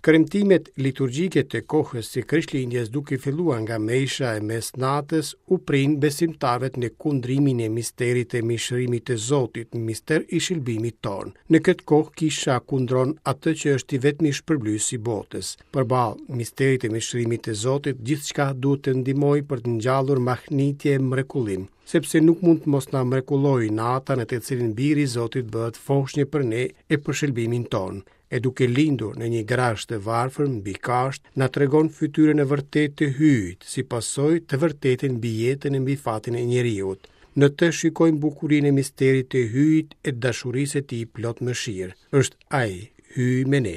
Kremtimet liturgjike të kohës së Krishtlindjes duke filluar nga mesha e mesnatës u prijnë besimtarëve në kundrimin e misterit të mishërimit të Zotit, mister i shëlbimit tonë. Në këtë kohë kisha kundron atë që është i vetmi shpërblyes i botës. Përballë misterit të mishërimit të Zotit, gjithçka duhet të ndihmojë për të ngjallur mahnitje e mrekullim, sepse nuk mund të mos na mrekullojë nata në të cilën Biri i Zotit bëhet foshnjë për ne e për shëlbimin tonë. e duke lindur në një grazhd të varfër mbi kashtë, na tregon fytyrën e vërtetë të Hyjit, si pasojë të vërtetën mbi jetën e mbi fatin e njeriut. Në të shikojmë bukurinë e misterit të Hyjit e dashurisë së tij plot mëshirë. Është Ai, Hyji me ne.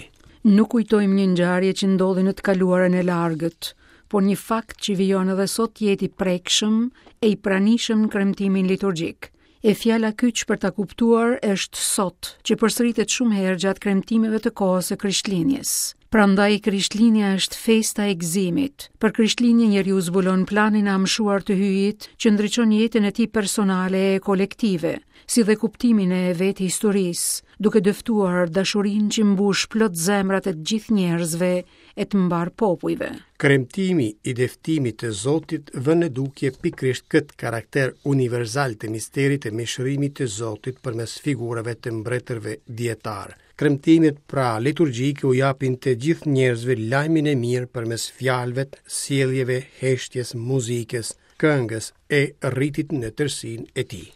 Nuk kujtojmë një ngjarje që ndodhi në të kaluarën e largët, por një fakt që vijon edhe sot të jetë i prekshëm e i pranishëm në kremtimin liturgjik. E fjala kyç për ta kuptuar është sot, që përsëritet shumë herë gjatë kremtimeve të kohës së Krishtlindjes. Prandaj Krishtlindja është festa e gëzimit. Për Krishtlindje njeriu zbulon planin e amshuar të Hyjit, që ndriçon jetën e tij personale e kolektive, si dhe kuptimin e vetë historisë, duke dëftuar dashurinë që mbush plot zemrat e të gjithë njerëzve e të mbarë popujve. Kremtimi i dëftimit të Zotit vë në dukje pikërisht këtë karakter universal të misterit të mishërimit të Zotit përmes figurave të mbretërve dijetarë. Kremtimet pra liturgjike u japin të gjithë njerëzve lajmin e mirë përmes fjalëve, sjelljeve, heshtjes, muzikës, këngës e ritit në tërësinë e tij.